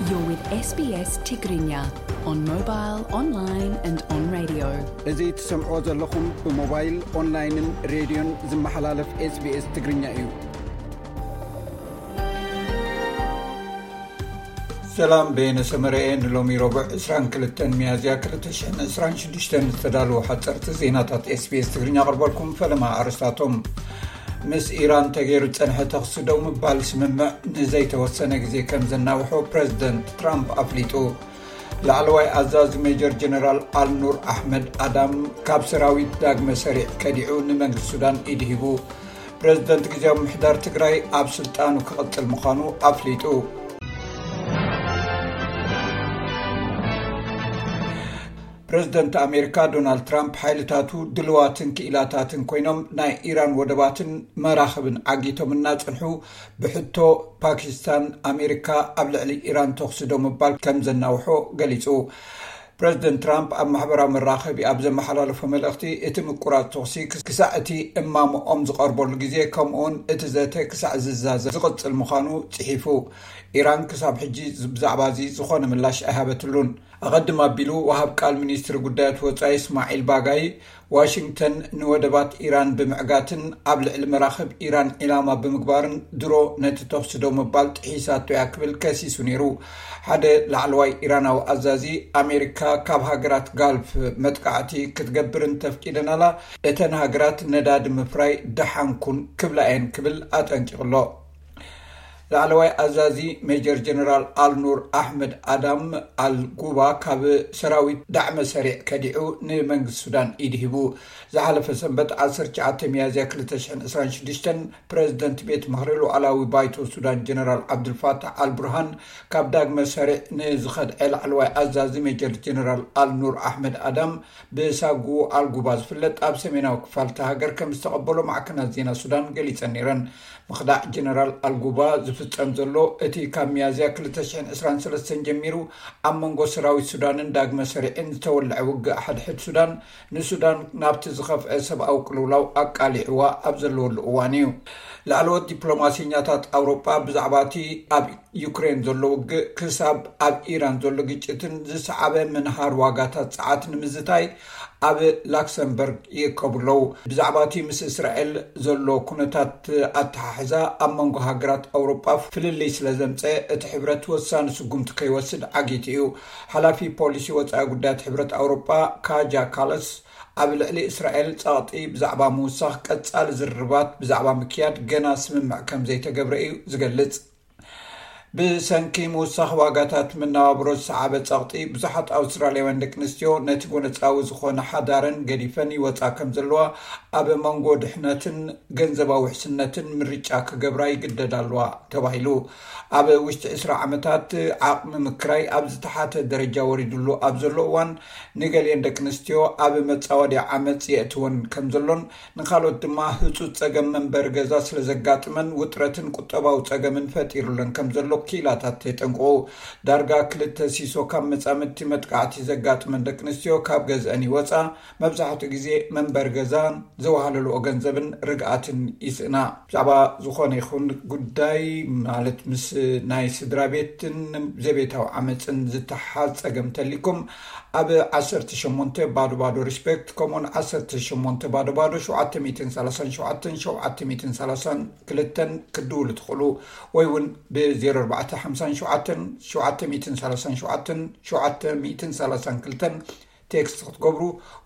You're with S B S Tigrinya on mobile, online and on radio. እዚ ትሰምዕዎ ዘለኹም ብሞባይል፣ ኦንላይንን ሬድዮን ዝመሓላለፍ SBS ትግርኛ እዩ። ሰላም፣ በየነ ሰመረኤ። ንሎሚ ረቡዕ ዕስራን ክልተን ሚያዝያ ክልተ ሽሕን ዕስራን ሽዱሽተን ዝተዳለዉ ሓፀርቲ ዜናታት SBS ትግርኛ ኣቕርበልኩም። ፈለማ ኣርስታቶም። ምስ ኢራን ተገይሩ ዝጸንሐ ተኽሲ ደው ምባል ስምምዕ ንዘይተወሰነ ግዜ ከም ዘናውሖ ፕረዚደንት ትራምፕ ኣፍሊጡ። ላዕለዋይ ኣዛዚ ሜጀር ጀነራል ኣልኑር ኣሕመድ ኣዳም ካብ ሰራዊት ዳግመ ሰሪዕ ከዲዑ ንመንግስቲ ሱዳን ኢድ ሂቡ። ፕረዚደንት ግዜያዊ ምሕዳር ትግራይ ኣብ ስልጣኑ ክቕጽል ምዃኑ ኣፍሊጡ። ፕረዚደንት ኣሜሪካ ዶናልድ ትራምፕ ሓይልታቱ ድልዋትን ክኢላታትን ኮይኖም ናይ ኢራን ወደባትን መራኽብን ዓጊቶም እናጸንሑ ብሕቶ ፓኪስታን ኣሜሪካ ኣብ ልዕሊ ኢራን ተኹሲ ደው ምባል ከም ዘናውሖ ገሊጹ። ፕረዚደንት ትራምፕ ኣብ ማሕበራዊ መራኸቢ ኣብ ዘመሓላለፎ መልእኽቲ፣ እቲ ምቁራጽ ተኹሲ ክሳዕ እቲ እማምኦም ዝቐርበሉ ግዜ፣ ከምኡውን እቲ ዘተ ክሳዕ ዝዛዘም ዝቕጽል ምዃኑ ጽሒፉ። ኢራን ክሳብ ሕጂ ብዛዕባ እዚ ዝኾነ ምላሽ ኣይሃበትሉን። ኣቐድም ኣቢሉ፣ ወሃብ ቃል ሚኒስትሪ ጉዳያት ወጻኢ እስማዒል ባጋይ፣ ዋሽንግተን ንወደባት ኢራን ብምዕጋትን ኣብ ልዕሊ መራኽብ ኢራን ዒላማ ብምግባርን ድሮ ነቲ ተኹሲ ደው ምባል ጥሒሳቶ እያ ክብል ከሲሱ ነይሩ። ሓደ ላዕለዋይ ኢራናዊ ኣዛዚ፣ ኣሜሪካ ካብ ሃገራት ጋልፍ መጥቃዕቲ ክትገብር እንተፍቂደናላ፣ እተን ሃገራት ነዳዲ ምፍራይ ደሓን ኩን ክብላ እየን ክብል ኣጠንቂቑ ኣሎ። ላዕለዋይ ኣዛዚ ሜጀር ጀነራል ኣልኑር ኣሕመድ ኣዳም ኣልጉባ ካብ ሰራዊት ዳዕመ ሰሪዕ ከዲዑ ንመንግስቲ ሱዳን ኢድ ሂቡ። ዝሓለፈ ሰንበት ዓሰርተ ትሽዓተ ሚያዝያ ክልተ ሽሕን ዕስራን ሽዱሽተን ፕረዚደንት ቤት ምኽሪ ሉዓላዊ ባይቶ ሱዳን ጀነራል ዓብዱልፋታሕ ኣልቡርሃን ካብ ዳግመ ሰሪዕ ንዝኸድዐ ላዕለዋይ ኣዛዚ ሜጀር ጀነራል ኣልኑር ኣሕመድ ኣዳም ብሳጉ ኣልጉባ ዝፍለጥ ኣብ ሰሜናዊ ክፋል እታ ሃገር ከም ዝተቐበሎ ማዕከናት ዜና ሱዳን ገሊጸን ነይረን። ምኽዳዕ ጀነራል ኣልጉባ ዝፍጸም ዘሎ፣ እቲ ካብ ሚያዝያ ክልተ ሽሕን ዕስራን ሰለስተን ጀሚሩ ኣብ መንጎ ሰራዊት ሱዳንን ዳግመ ሰሪዕን ዝተወልዐ ውግእ ሓድሕድ ሱዳን፣ ንሱዳን ናብቲ ዝኸፍአ ሰብኣዊ ቅልውላው ኣቃሊዕዋ ኣብ ዘለወሉ እዋን እዩ። ላዕለዎት ዲፕሎማሲኛታት ኣውሮጳ ብዛዕባ እቲ ኣብ ዩክሬን ዘሎ ውግእ ክሳብ ኣብ ኢራን ዘሎ ግጭትን ዝሰዓበ ምንሃር ዋጋታት ጸዓት ንምዝታይ ኣብ ላክሰምበርግ ይእከቡ ኣለዉ። ብዛዕባ እቲ ምስ እስራኤል ዘሎ ኩነታት ኣተሓሕዛ ኣብ መንጎ ሃገራት ኣውሮጳ ፍልልይ ስለ ዘምጸ፣ እቲ ሕብረት ወሳኒ ስጉምቲ ከይወስድ ዓጊቱ እዩ። ሓላፊ ፖሊሲ ወጻኢ ጉዳያት ሕብረት ኣውሮጳ ካጃ ካለስ ኣብ ልዕሊ እስራኤል ጸቕጢ ብዛዕባ ምውሳኽ ቀጻሊ ዝርርባት ብዛዕባ ምክያድ ገና ስምምዕ ከም ዘይተገብረ እዩ ዝገልጽ። ብሰንኪ ምውሳኽ ዋጋታት መነባብሮ ዝሰዓበ ጸቕጢ፣ ብዙሓት ኣውስትራልያውያን ደቂ ኣንስትዮ ነቲ ጎነጻዊ ዝኾነ ሓዳረን ገዲፈን ይወጻ ከም ዘለዋ፣ ኣብ መንጎ ድሕነትን ገንዘባዊ ውሕስነትን ምርጫ ክገብራ ይግደዳ ኣለዋ ተባሂሉ። ኣብ ውሽጢ ዕስራ ዓመታት ዓቕሚ ምክራይ ኣብ ዝተሓተ ደረጃ ወሪዱሉ ኣብ ዘሎ እዋን፣ ንገሊአን ደቂ ኣንስትዮ ኣብ መጻወድያ ዓመጽ የእትወን ከም ዘሎን፣ ንኻልኦት ድማ ህጹጽ ጸገም መንበሪ ገዛ ስለ ዘጋጥመን ውጥረትን ቁጠባዊ ጸገምን ፈጢሩለን ከም ዘሎ ክኢላታት የጠንቅቑ። ዳርጋ ክልተ ሲሶ ካብ መጻምድቲ መጥቃዕቲ ዘጋጥመን ደቂ ኣንስትዮ ካብ ገዝአን ይወጻ፣ መብዛሕትኡ ግዜ መንበሪ ገዛን ዘዋህለልኦ ገንዘብን ርግኣትን ይስእና። ብዛዕባ ዝኾነ ይኹን ጉዳይ፣ ማለት ምስ ናይ ስድራ ቤትን ዘቤታዊ ዓመፅን ዝተሓዝ ጸገም ተሊኩም፣ ኣብ ዓሰርተ ሸሞንተ ባዶ ባዶ ሪስፔክት፣ ከምኡውን ዓሰርተ ሸሞንተ ባዶ ባዶ ሸውዓተ ሚእትን ሰላሳን ሸውዓተን ሸውዓተ ሚእትን ሰላሳን ክልተን ክትድውሉ ትኽእሉ፣ ወይ እውን ብ ዜሮ ኣርባዕተ ሓምሳን ሸውዓተን ሸውዓተ ሚእትን ሰላሳን ሸውዓተን ሸውዓተ ሚእትን ሰላሳን ክልተን ቴክስት ክትገብሩ፣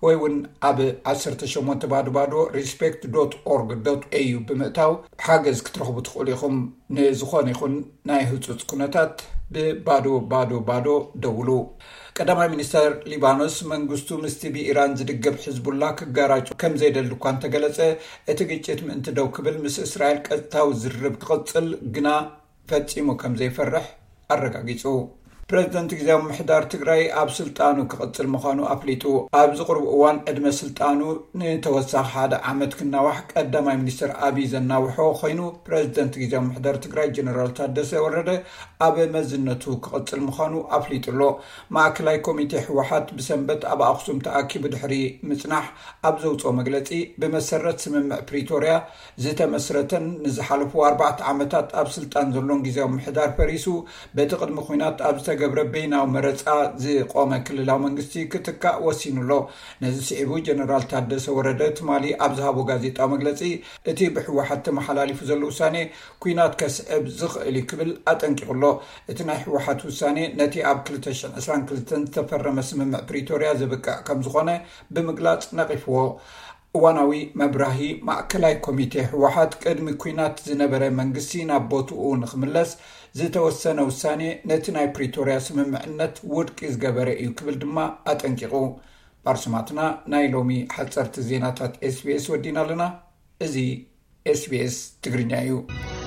ወይ እውን ኣብ ዓሰርተ ሸሞንተ ባዶ ባዶ ሪስፔክት ዶት ኦርግ ዶት ኤዩ ብምእታው ሓገዝ ክትረኽቡ ትኽእሉ ኢኹም። ንዝኾነ ይኹን ናይ ህጹጽ ኩነታት ብባዶ ባዶ ባዶ ደውሉ። ቀዳማይ ሚኒስተር ሊባኖስ፣ መንግስቱ ምስቲ ብኢራን ዝድገፍ ሕዝቡላ ክጋራጩ ከም ዘይደሊ እኳ እንተገለጸ፣ እቲ ግጭት ምእንቲ ደው ክብል ምስ እስራኤል ቀጥታዊ ዝርርብ ክቕጽል ግና ፈጺሙ ከም ዘይፈርሕ ኣረጋጊጹ። ፕሬዚደንት ግዜያዊ ምምሕዳር ትግራይ ኣብ ስልጣኑ ክቕፅል ምዃኑ ኣፍሊጡ። ኣብዚ ቁሩብ እዋን ዕድመ ስልጣኑ ንተወሳኺ ሓደ ዓመት ክናዋሕ ቀዳማይ ሚኒስትር ኣብይ ዘናውሖ ኮይኑ፣ ፕሬዚደንት ግዜያዊ ምምሕዳር ትግራይ ጀነራል ታደሰ ወረደ ኣብ መዝነቱ ክቕፅል ምዃኑ ኣፍሊጡ ኣሎ። ማእከላይ ኮሚቴ ህወሓት ብሰንበት ኣብ ኣኽሱም ተኣኪቡ ድሕሪ ምፅናሕ ኣብ ዘውፅኦ መግለፂ፣ ብመሰረት ስምምዕ ፕሪቶርያ ዝተመስረተን ንዝሓለፉ ኣርባዕተ ዓመታት ኣብ ስልጣን ዘሎን ግዜያዊ ምምሕዳር ፈሪሱ በቲ ቅድሚ ኲናት ኣብ ዝተገብረ በይናዊ መረፃ ዝቖመ ክልላዊ መንግስቲ ክትካእ ወሲኑ ኣሎ። ነዚ ስዒቡ ጀነራል ታደሰ ወረደ ትማሊ ኣብ ዝሃቦ ጋዜጣዊ መግለፂ፣ እቲ ብህወሓት ተመሓላሊፉ ዘሎ ውሳኔ ኲናት ከስዕብ ዝኽእል እዩ ክብል ኣጠንቂቑ ኣሎ። እቲ ናይ ህወሓት ውሳኔ ነቲ ኣብ ክልተ ሽሕን ዕስራን ክልተን ዝተፈረመ ስምምዕ ፕሪቶርያ ዘብቅዕ ከም ዝኾነ ብምግላፅ ነቒፍዎ። እዋናዊ መብራሂ። ማእከላይ ኮሚቴ ህወሓት ቅድሚ ኲናት ዝነበረ መንግስቲ ናብ ቦትኡ ንኽምለስ ዝተወሰነ ውሳኔ ነቲ ናይ ፕሪቶርያ ስምምዕነት ውድቂ ዝገበረ እዩ ክብል ድማ ኣጠንቂቑ። ባርሱማትና፣ ናይ ሎሚ ሓፀርቲ ዜናታት ኤስቢኤስ ወዲና ኣለና። እዚ ኤስቢኤስ ትግርኛ እዩ።